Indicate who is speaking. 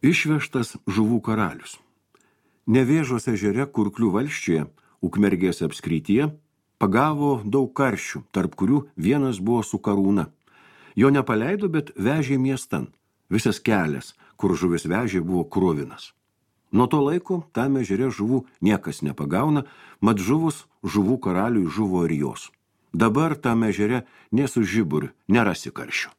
Speaker 1: Išvežtas žuvų karalius. Nevėžos ežere Kurklių valsčiuje, Ukmergės apskrityje, pagavo daug karšių, tarp kurių vienas buvo su karūna. Jo nepaleido, bet vežė miestan. Visas kelias, kur žuvis vežė, buvo kruvinas. Nuo to laiko tame ežere žuvų niekas nepagauna, mat žuvus žuvų karaliui žuvo ir jos. Dabar tame ežere nė su žiburiu nerasi karšių.